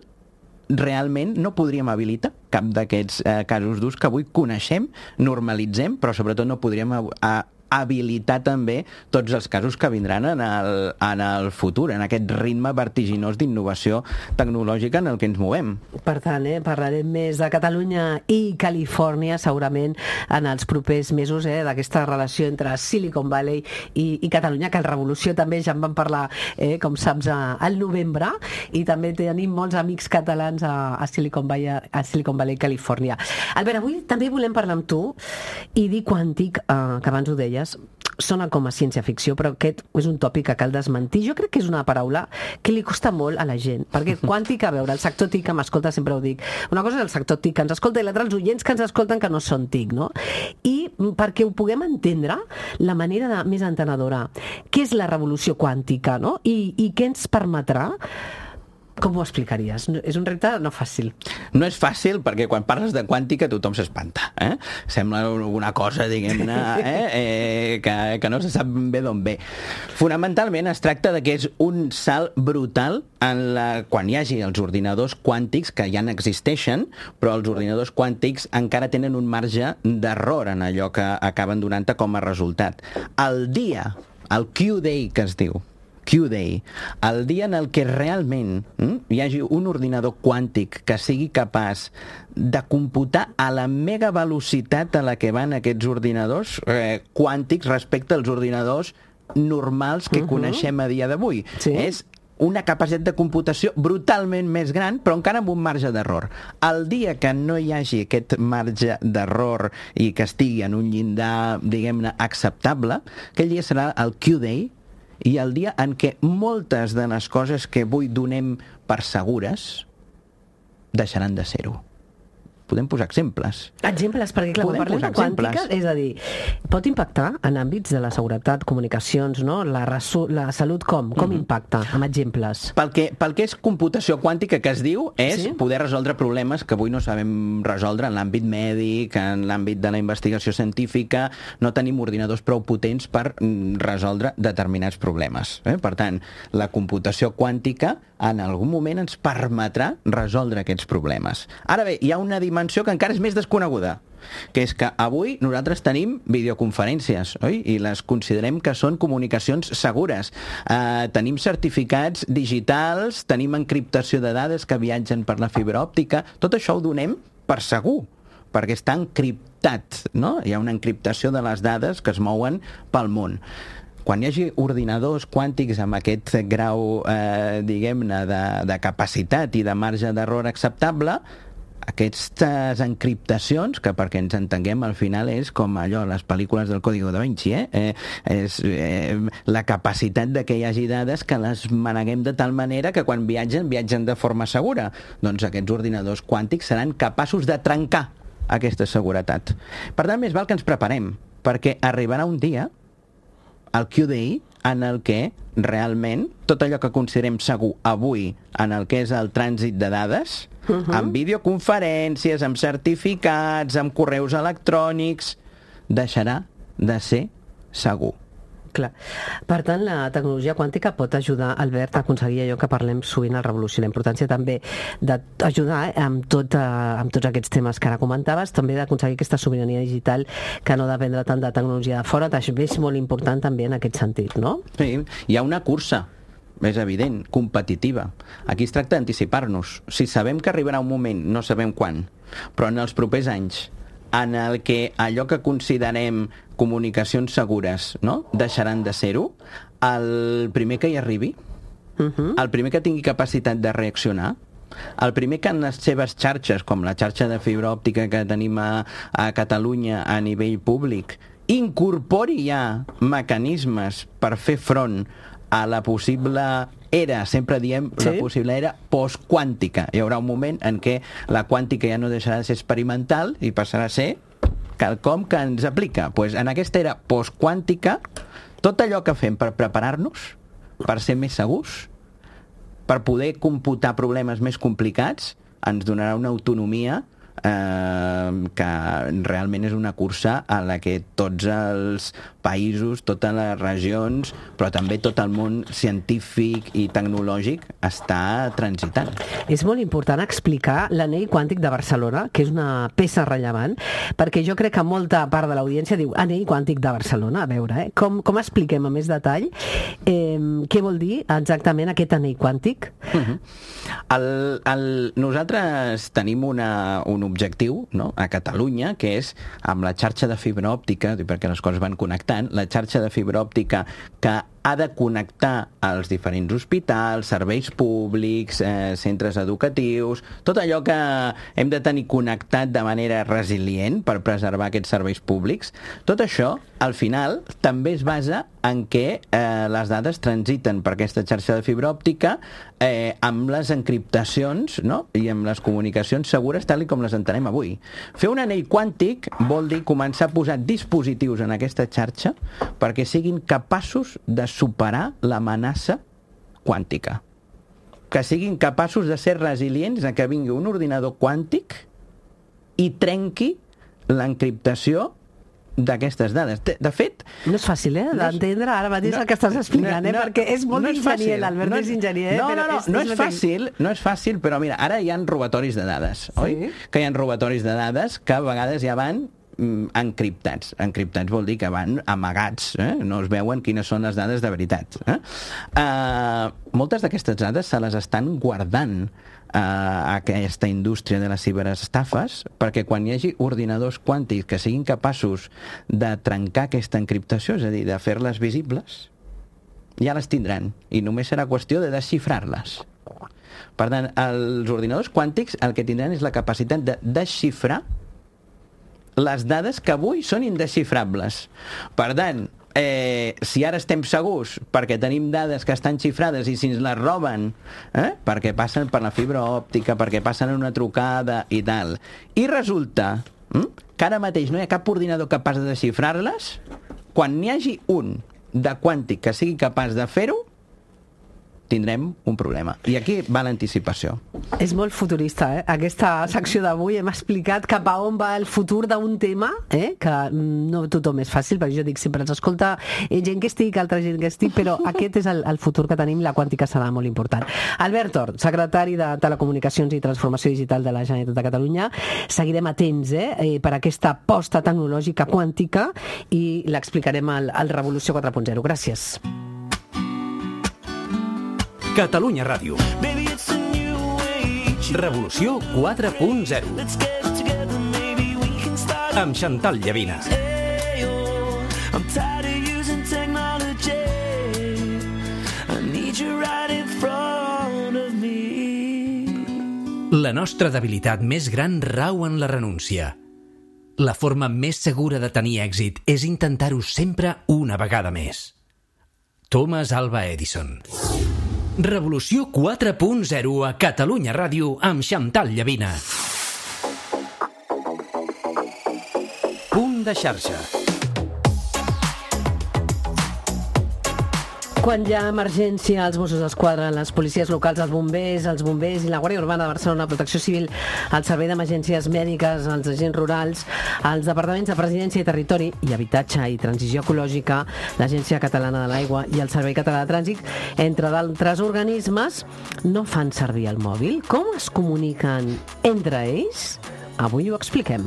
realment no podríem habilitar cap d'aquests eh, casos d'ús que avui coneixem, normalitzem, però sobretot no podríem a, a, habilitar també tots els casos que vindran en el, en el futur, en aquest ritme vertiginós d'innovació tecnològica en el que ens movem. Per tant, eh, parlarem més de Catalunya i Califòrnia segurament en els propers mesos, eh, d'aquesta relació entre Silicon Valley i, i Catalunya, que el Revolució també ja en vam parlar, eh, com saps, a, al novembre, i també tenim molts amics catalans a, a, Silicon Valley, a Silicon Valley, Califòrnia. Albert, avui també volem parlar amb tu i dir quàntic, eh, que abans ho deies, sona com a ciència-ficció, però aquest és un tòpic que cal desmentir. Jo crec que és una paraula que li costa molt a la gent, perquè quàntic, a veure, el sector TIC que m'escolta, sempre ho dic, una cosa és el sector TIC que ens escolta i l'altra els oients que ens escolten que no són TIC, no? I perquè ho puguem entendre, la manera de, més entenedora, què és la revolució quàntica, no? I, i què ens permetrà? Com ho explicaries? És un repte no fàcil. No és fàcil perquè quan parles de quàntica tothom s'espanta. Eh? Sembla alguna cosa, diguem-ne, eh? eh, que, que no se sap bé d'on ve. Fonamentalment es tracta de que és un salt brutal en la, quan hi hagi els ordinadors quàntics, que ja n'existeixen, però els ordinadors quàntics encara tenen un marge d'error en allò que acaben donant-te com a resultat. El dia, el Q-Day que es diu, Q-Day, el dia en el que realment hm, hi hagi un ordinador quàntic que sigui capaç de computar a la mega velocitat a la que van aquests ordinadors eh, quàntics respecte als ordinadors normals que uh-huh. coneixem a dia d'avui. Sí. És una capacitat de computació brutalment més gran, però encara amb un marge d'error. El dia que no hi hagi aquest marge d'error i que estigui en un llindar, diguem-ne, acceptable, aquell dia serà el Q-Day, i el dia en què moltes de les coses que avui donem per segures deixaran de ser-ho. Podem posar exemples. Exemples, perquè clar, quan parlem de quàntica, és a dir, pot impactar en àmbits de la seguretat, comunicacions, no? La, resu- la salut, com? Com mm-hmm. impacta? Amb exemples. Pel que, pel que és computació quàntica, que es diu, és sí? poder resoldre problemes que avui no sabem resoldre en l'àmbit mèdic, en l'àmbit de la investigació científica. No tenim ordinadors prou potents per resoldre determinats problemes. Eh? Per tant, la computació quàntica en algun moment ens permetrà resoldre aquests problemes. Ara bé, hi ha una dimensió que encara és més desconeguda, que és que avui nosaltres tenim videoconferències, oi? I les considerem que són comunicacions segures. Eh, tenim certificats digitals, tenim encriptació de dades que viatgen per la fibra òptica. Tot això ho donem per segur, perquè està encriptat, no? Hi ha una encriptació de les dades que es mouen pel món. Quan hi hagi ordinadors quàntics amb aquest grau, eh, diguem-ne, de, de capacitat i de marge d'error acceptable, aquestes encriptacions, que perquè ens entenguem al final és com allò, les pel·lícules del Código da Vinci, eh? Eh, és eh, la capacitat de que hi hagi dades que les maneguem de tal manera que quan viatgen, viatgen de forma segura. Doncs aquests ordinadors quàntics seran capaços de trencar aquesta seguretat. Per tant, més val que ens preparem, perquè arribarà un dia, el Q-Day, en el que realment tot allò que considerem segur avui en el que és el trànsit de dades, uh-huh. amb videoconferències, amb certificats, amb correus electrònics, deixarà de ser segur. Clar. Per tant, la tecnologia quàntica pot ajudar, Albert, a aconseguir allò que parlem sovint al Revolució, la importància també d'ajudar eh, amb, tot, eh, amb tots aquests temes que ara comentaves, també d'aconseguir aquesta sobirania digital que no dependrà tant de tecnologia de fora, també és molt important també en aquest sentit, no? Sí, hi ha una cursa, és evident, competitiva. Aquí es tracta d'anticipar-nos. Si sabem que arribarà un moment, no sabem quan, però en els propers anys, en el que allò que considerem comunicacions segures, no?, deixaran de ser-ho, el primer que hi arribi, uh-huh. el primer que tingui capacitat de reaccionar, el primer que en les seves xarxes, com la xarxa de fibra òptica que tenim a, a Catalunya a nivell públic, incorpori ja mecanismes per fer front a la possible era, sempre diem sí? la possible era postquàntica. Hi haurà un moment en què la quàntica ja no deixarà de ser experimental i passarà a ser quelcom que ens aplica. Pues en aquesta era postquàntica, tot allò que fem per preparar-nos, per ser més segurs, per poder computar problemes més complicats, ens donarà una autonomia eh, que realment és una cursa a la que tots els països, totes les regions, però també tot el món científic i tecnològic està transitant. És molt important explicar l'anell quàntic de Barcelona, que és una peça rellevant, perquè jo crec que molta part de l'audiència diu anell quàntic de Barcelona, a veure, eh? com, com expliquem a més detall eh, què vol dir exactament aquest anell quàntic? Uh-huh. el, el, nosaltres tenim una, un objectiu, no?, a Catalunya, que és amb la xarxa de fibra òptica, perquè les coses van connectant, la xarxa de fibra òptica que ha de connectar als diferents hospitals, serveis públics, eh, centres educatius, tot allò que hem de tenir connectat de manera resilient per preservar aquests serveis públics. Tot això, al final, també es basa en què eh, les dades transiten per aquesta xarxa de fibra òptica eh, amb les encriptacions, no?, i amb les comunicacions segures tal com les entenem avui. Fer un anell quàntic vol dir començar a posar dispositius en aquesta xarxa perquè siguin capaços de superar l'amenaça quàntica. Que siguin capaços de ser resilients a que vingui un ordinador quàntic i trenqui l'encriptació d'aquestes dades. De, de fet... No és fàcil, eh, d'entendre ara mateix no, el que estàs explicant, no, no, eh, perquè és molt no enginyer, l'Albert no és enginyer, eh, no, però no, no, és, no és, és fàcil, no és fàcil, però mira, ara hi ha robatoris de dades, sí? Oi? Que hi ha robatoris de dades que a vegades ja van encriptats. Encriptats vol dir que van amagats, eh? No es veuen quines són les dades de veritat. Eh? Uh, moltes d'aquestes dades se les estan guardant a aquesta indústria de les ciberestafes perquè quan hi hagi ordinadors quàntics que siguin capaços de trencar aquesta encriptació, és a dir, de fer-les visibles, ja les tindran i només serà qüestió de desxifrar-les. Per tant, els ordinadors quàntics el que tindran és la capacitat de desxifrar les dades que avui són indesxifrables. Per tant, eh, si ara estem segurs perquè tenim dades que estan xifrades i si ens les roben, eh, perquè passen per la fibra òptica, perquè passen en una trucada i tal, i resulta hm, que ara mateix no hi ha cap ordinador capaç de desxifrar-les, quan n'hi hagi un de quàntic que sigui capaç de fer-ho, tindrem un problema. I aquí va l'anticipació. És molt futurista, eh? Aquesta secció d'avui hem explicat cap a on va el futur d'un tema, eh? Que no tothom és fàcil, perquè jo dic sempre ens escolta gent que estic, altra gent que estic, però aquest és el, el futur que tenim, la quàntica serà molt important. Albert Tort, secretari de Telecomunicacions i Transformació Digital de la Generalitat de Catalunya. Seguirem atents eh? Eh, per aquesta aposta tecnològica quàntica i l'explicarem al, al Revolució quatre punt zero. Gràcies. Catalunya Ràdio. Revolució quatre punt zero. Amb Chantal Llavina. La nostra debilitat més gran rau en la renúncia. La forma més segura de tenir èxit és intentar-ho sempre una vegada més. Thomas Alva Edison. Revolució quatre punt zero a Catalunya Ràdio amb Chantal Llavina. Punt de xarxa. Quan hi ha emergència, els Mossos d'Esquadra, les policies locals, els bombers, els bombers i la Guàrdia Urbana de Barcelona, Protecció Civil, el Servei d'Emergències Mèdiques, els agents rurals, els departaments de Presidència i Territori i Habitatge i Transició Ecològica, l'Agència Catalana de l'Aigua i el Servei Català de Trànsit, entre d'altres organismes, no fan servir el mòbil. Com es comuniquen entre ells? Avui ho expliquem.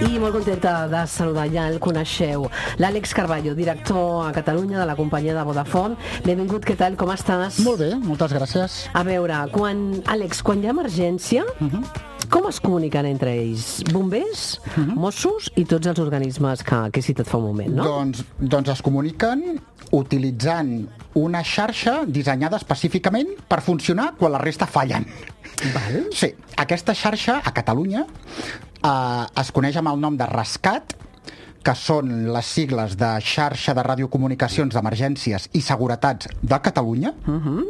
I molt contenta de saludar, ja el coneixeu, l'Àlex Carballo, director a Catalunya de la companyia de Vodafone. Benvingut, què tal, com estàs? Molt bé, moltes gràcies. A veure, quan, Àlex, quan hi ha emergència, uh -huh. com es comuniquen entre ells? Bombers, uh -huh. Mossos i tots els organismes que, que he citat fa un moment, no? Doncs, doncs es comuniquen utilitzant una xarxa dissenyada específicament per funcionar quan la resta fallen. Val. Sí, aquesta xarxa a Catalunya eh, es coneix amb el nom de ResCat, que són les sigles de Xarxa de Radiocomunicacions d'Emergències i Seguretats de Catalunya, uh -huh.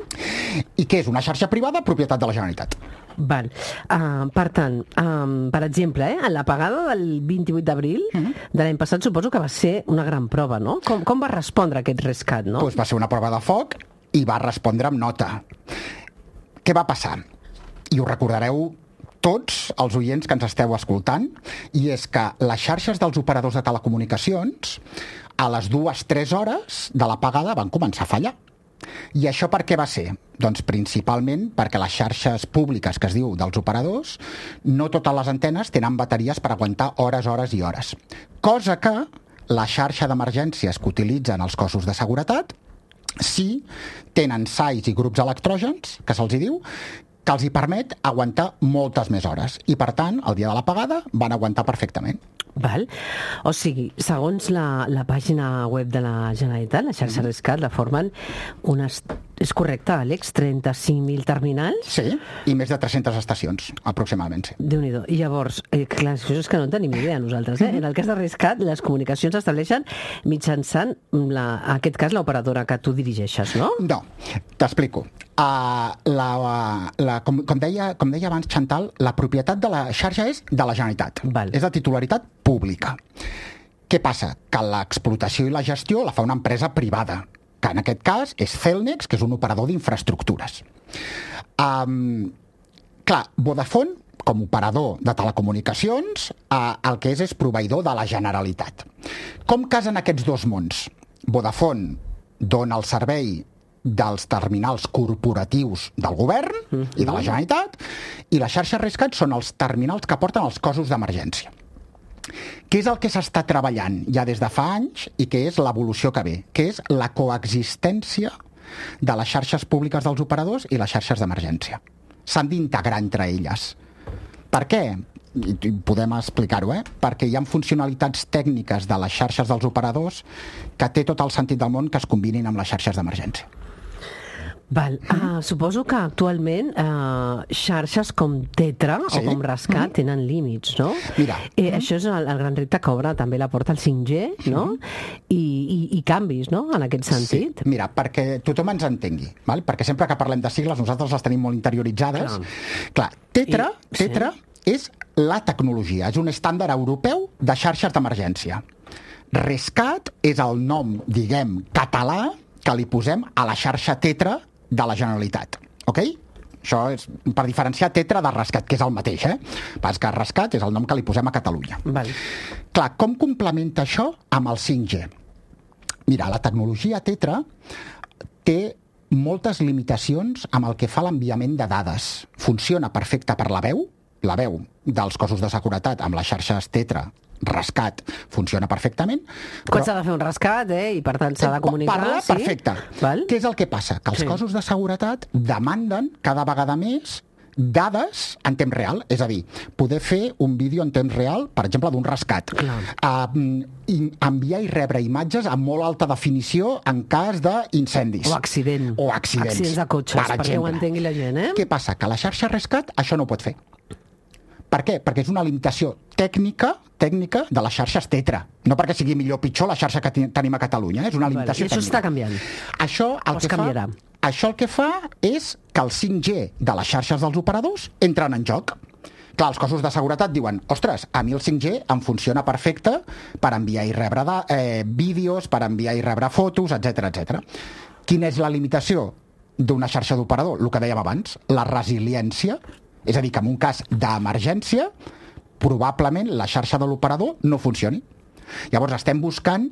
i que és una xarxa privada propietat de la Generalitat. Val. Uh, per tant, um, per exemple, eh, en l'apagada del vint-i-vuit d'abril uh -huh. de l'any passat suposo que va ser una gran prova, no? Com, com va respondre aquest ResCat, no? Pues va ser una prova de foc i va respondre amb nota. Què va passar? I ho recordareu tots els oients que ens esteu escoltant, i és que les xarxes dels operadors de telecomunicacions a les dues, tres hores de l'apagada van començar a fallar. I això per què va ser? Doncs principalment perquè les xarxes públiques, que es diu dels operadors, no totes les antenes tenen bateries per aguantar hores, hores i hores. Cosa que la xarxa d'emergències que utilitzen els cossos de seguretat sí tenen sais i grups electrògens, que se'ls hi diu, que els hi permet aguantar moltes més hores. I, per tant, el dia de l'apagada van aguantar perfectament. Val. O sigui, segons la, la pàgina web de la Generalitat, la xarxa mm-hmm. ResCat, la formen unes... És correcte, Àlex? trenta-cinc mil terminals? Sí, i més de tres-centes estacions, aproximadament, sí. Déu-n'hi-do. I llavors, eh, clar, això és que no en tenim idea nosaltres, eh? Mm-hmm. En el cas de ResCat, les comunicacions s'estableixen mitjançant, la, en aquest cas, l'operadora que tu dirigeixes, no? No, t'explico. Uh, la, la, com, com, deia, com deia abans Chantal, la propietat de la xarxa és de la Generalitat. Val. És de titularitat pública. Què passa? Que l'explotació i la gestió la fa una empresa privada, que en aquest cas és Cellnex, que és un operador d'infraestructures. Um, clar, Vodafone, com a operador de telecomunicacions, uh, el que és és proveïdor de la Generalitat. Com casen aquests dos mons? Vodafone dona el servei dels terminals corporatius del govern uh-huh. i de la Generalitat, i la xarxa ResCat són els terminals que porten els cossos d'emergència. Què és el que s'està treballant ja des de fa anys i que és l'evolució que ve? Que és la coexistència de les xarxes públiques dels operadors i les xarxes d'emergència. S'han d'integrar entre elles. Per què? I podem explicar-ho, eh? Perquè hi ha funcionalitats tècniques de les xarxes dels operadors que té tot el sentit del món que es combinin amb les xarxes d'emergència. Val. Uh, suposo que actualment uh, xarxes com Tetra sí. o com ResCat mm. tenen límits, no? Mira. Eh, mm. Això és el, el gran repte que obre també la porta al cinc G, no? Mm. I, i, I canvis, no?, en aquest sentit. Sí. Mira, perquè tothom ens entengui, val? Perquè sempre que parlem de sigles nosaltres les tenim molt interioritzades. Clar, Clar Tetra, I, Tetra sí. és la tecnologia, és un estàndard europeu de xarxes d'emergència. ResCat és el nom, diguem, català que li posem a la xarxa Tetra de la Generalitat, ok? Això és per diferenciar Tetra de ResCat, que és el mateix, eh? Pas que ResCat és el nom que li posem a Catalunya. Val. Clar, com complementa això amb el cinc G? Mira, la tecnologia Tetra té moltes limitacions amb el que fa l'enviament de dades. Funciona perfecte per la veu, la veu dels cossos de seguretat amb les xarxes Tetra, ResCat, funciona perfectament. Quan però... s'ha de fer un rescat, eh? I per tant s'ha de comunicar... Parla sí? perfecte. Val? Què és el que passa? Que els sí. cossos de seguretat demanden cada vegada més dades en temps real, és a dir, poder fer un vídeo en temps real, per exemple, d'un rescat. Uh, enviar i rebre imatges amb molt alta definició en cas d'incendis. O accident. O accidents. Accidents de cotxes, per perquè exemple. Ho entengui la gent, eh? Què passa? Que la xarxa ResCat això no ho pot fer. Per què? Perquè és una limitació tècnica tècnica de les xarxes Tetra. No perquè sigui millor o pitjor la xarxa que tenim a Catalunya, eh? És una limitació tècnica. I això està canviant. Això el, que fa, això el que fa és que el cinc G de les xarxes dels operadors entren en joc. Clar, els cossos de seguretat diuen, ostres, a mi el cinc G em funciona perfecte per enviar i rebre de, eh, vídeos, per enviar i rebre fotos, etcètera, etcètera. Quina és la limitació d'una xarxa d'operador? El que dèiem abans, la resiliència, és a dir, que en un cas d'emergència, probablement la xarxa de l'operador no funcioni. Llavors estem buscant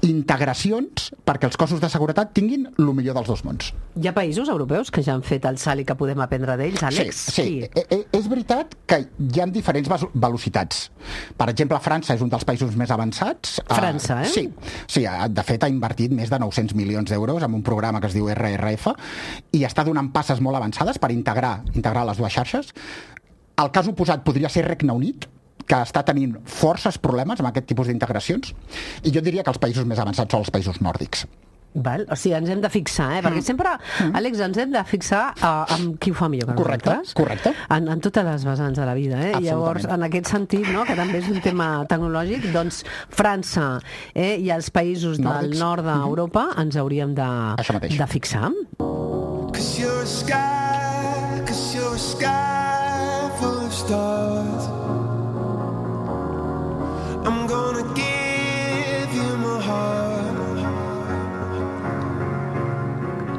integracions perquè els cossos de seguretat tinguin el millor dels dos mons. Hi ha països europeus que ja han fet el salt i que podem aprendre d'ells, Àlex? Sí, sí. E- és veritat que hi ha diferents ves- velocitats. Per exemple, França és un dels països més avançats. França, eh? Sí, sí, ha- de fet ha invertit més de nou-cents milions d'euros en un programa que es diu R R F i està donant passes molt avançades per integrar, integrar les dues xarxes. El cas oposat podria ser Regne Unit, que està tenint forces problemes amb aquest tipus d'integracions, i jo diria que els països més avançats són els països nòrdics. Val? O sigui, ens hem de fixar, eh? Perquè sempre, Àlex, ens hem de fixar uh, amb qui ho fa millor que Correcte, nosaltres. correcte. En, en totes les vessants de la vida, eh? Absolutament. Llavors, en aquest sentit, no?, que també és un tema tecnològic, doncs França eh, i els països del Nòrdics. nord d'Europa ens hauríem de, Això mateix. de fixar. Cause you're a sky, cause you're a sky full of stars. I'm gonna give you my heart.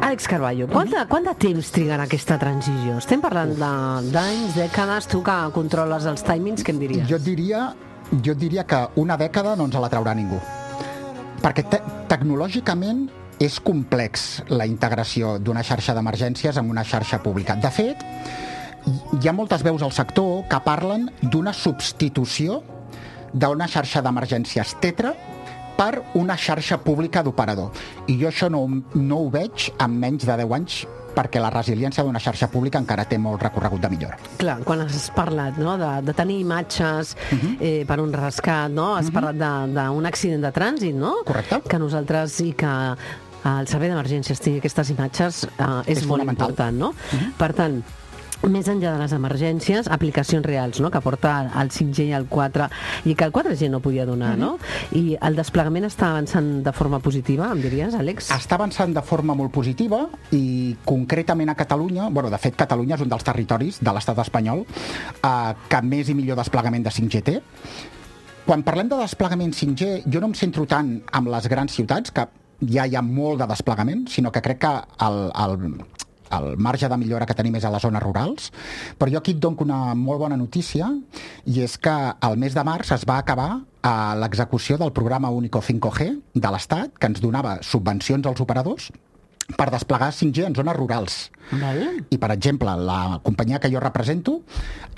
Àlex Carballo, quant de, quant de temps trigarà aquesta transició? Estem parlant de- d'anys, dècades, tu que controles els timings, què em diries? Jo diria, jo diria que una dècada no ens la traurà ningú. Perquè te tecnològicament és complex la integració d'una xarxa d'emergències amb una xarxa pública. De fet, hi ha moltes veus al sector que parlen d'una substitució d'una xarxa d'emergències tetra per una xarxa pública d'operador. I jo això no, no ho veig en menys de deu anys, perquè la resiliència d'una xarxa pública encara té molt recorregut de millora. Clar, quan has parlat, no?, de, de tenir imatges eh, per un rescat, no?, has parlat de- d'un accident de trànsit, no? Correcte. Que nosaltres i que el servei d'emergències tingui aquestes imatges eh, és, És molt fonamental. important, no? Per tant, més enllà de les emergències, aplicacions reals, no?, que porta el cinc G i el quatre, i que el quatre G no podia donar, no? I el desplegament està avançant de forma positiva, em diries, Àlex? Està avançant de forma molt positiva i concretament a Catalunya, bueno, de fet Catalunya és un dels territoris de l'estat espanyol eh, que més i millor desplegament de cinc G té. Quan parlem de desplegament cinc G, jo no em centro tant amb les grans ciutats, que ja hi ha molt de desplegament, sinó que crec que el, el, el marge de millora que tenim és a les zones rurals, però jo aquí et dono una molt bona notícia, i és que el mes de març es va acabar a l'execució del programa Único cinc G de l'Estat, que ens donava subvencions als operadors per desplegar cinc G en zones rurals. Val? I, per exemple, la companyia que jo represento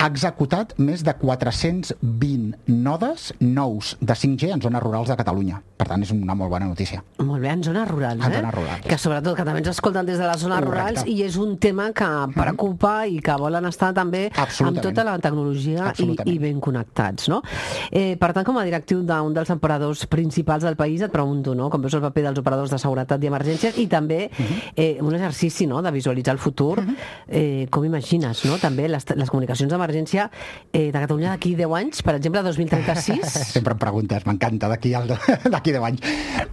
ha executat més de quatre-cents vint nodes nous de cinc G en zones rurals de Catalunya. Per tant, és una molt bona notícia. Molt bé, en zones rurals, En eh? zones rurals. Que sobretot que també ens escolten des de les zones Correcte. rurals i és un tema que preocupa i que volen estar també amb Absolutament. tota la tecnologia i, Absolutament. i ben connectats, no? Eh, per tant, com a directiu d'un dels operadors principals del país, et pregunto, no?, com veus el paper dels operadors de seguretat i emergències i també eh, un exercici, no?, de visualitzar el futur. Eh, com imagines, no?, també les, les comunicacions d'emergència eh, de Catalunya d'aquí deu anys, per exemple, dos mil trenta-sis? Sempre em preguntes, m'encanta, d'aquí al- d'aquí deu anys.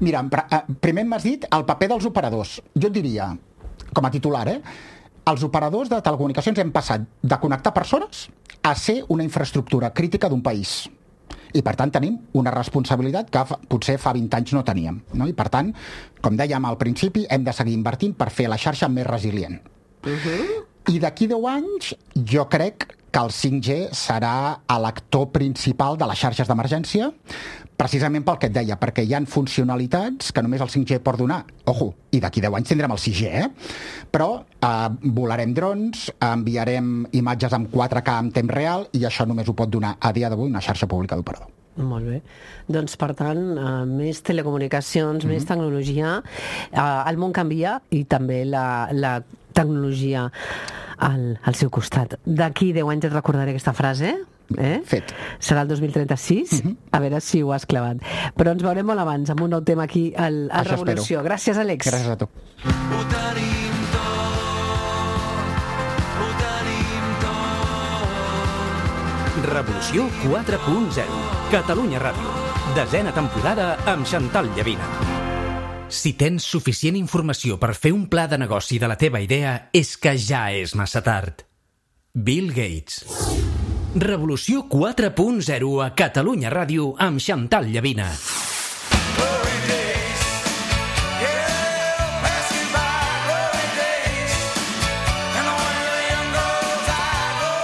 Mira, em pre- eh, primer m'has dit el paper dels operadors. Jo et diria, com a titular, eh, els operadors de telecomunicacions hem passat de connectar persones a ser una infraestructura crítica d'un país. I, per tant, tenim una responsabilitat que fa, potser fa vint anys no teníem. No? I, per tant, com dèiem al principi, hem de seguir invertint per fer la xarxa més resilient. I d'aquí deu anys, jo crec que el cinc G serà l'actor principal de les xarxes d'emergència, precisament pel que et deia, perquè hi han funcionalitats que només el cinc G pot donar. Ojo, i d'aquí deu anys tindrem el sis G, eh? Però eh, volarem drons, enviarem imatges amb quatre K en temps real, i això només ho pot donar a dia d'avui una xarxa pública d'operador. Molt bé. Doncs, per tant, uh, més telecomunicacions, mm -hmm. més tecnologia. Uh, el món canvia i també la, la tecnologia al, al seu costat. D'aquí deu anys et recordaré aquesta frase. Eh? Fet. Serà el dos mil trenta-sis, mm -hmm. a veure si ho has clavat. Però ens veurem molt abans amb un nou tema aquí al, al Això Revolució. espero. Gràcies, Àlex. Gràcies a tu. Ho tenim tot, ho tenim tot. Revolució quatre punt zero. Catalunya Ràdio. Desena temporada amb Xantal Llavina. Si tens suficient informació per fer un pla de negoci de la teva idea, és que ja és massa tard. Bill Gates. Revolució quatre punt zero a Catalunya Ràdio amb Xantal Llavina.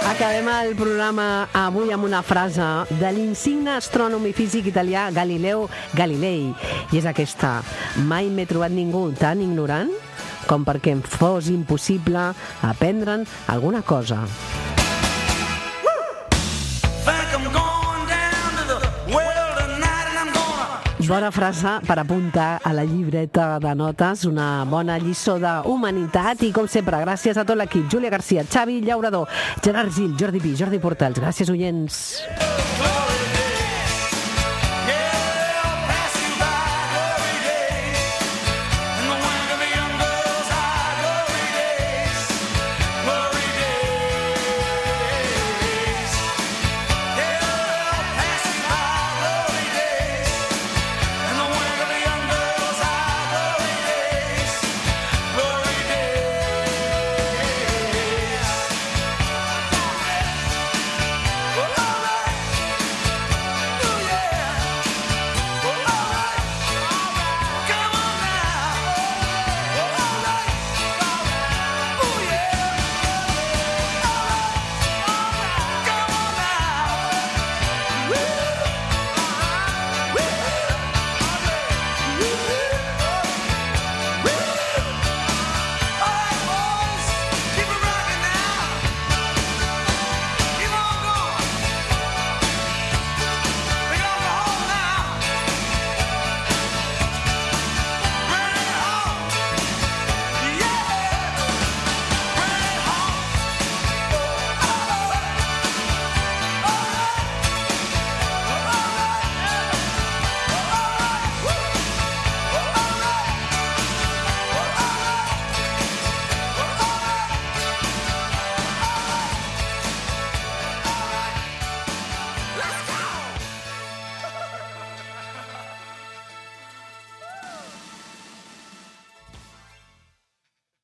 Acabem el programa avui amb una frase de l'insigne astrònom i físic italià Galileo Galilei. I és aquesta: mai m'he trobat ningú tan ignorant com perquè em fos impossible aprendre'n alguna cosa. Bona frase per apuntar a la llibreta de notes, una bona lliçó d'humanitat i, com sempre, gràcies a tot l'equip. Júlia Garcia, Xavi Llaurador, Gerard Gil, Jordi Pi, Jordi Portals. Gràcies, oients.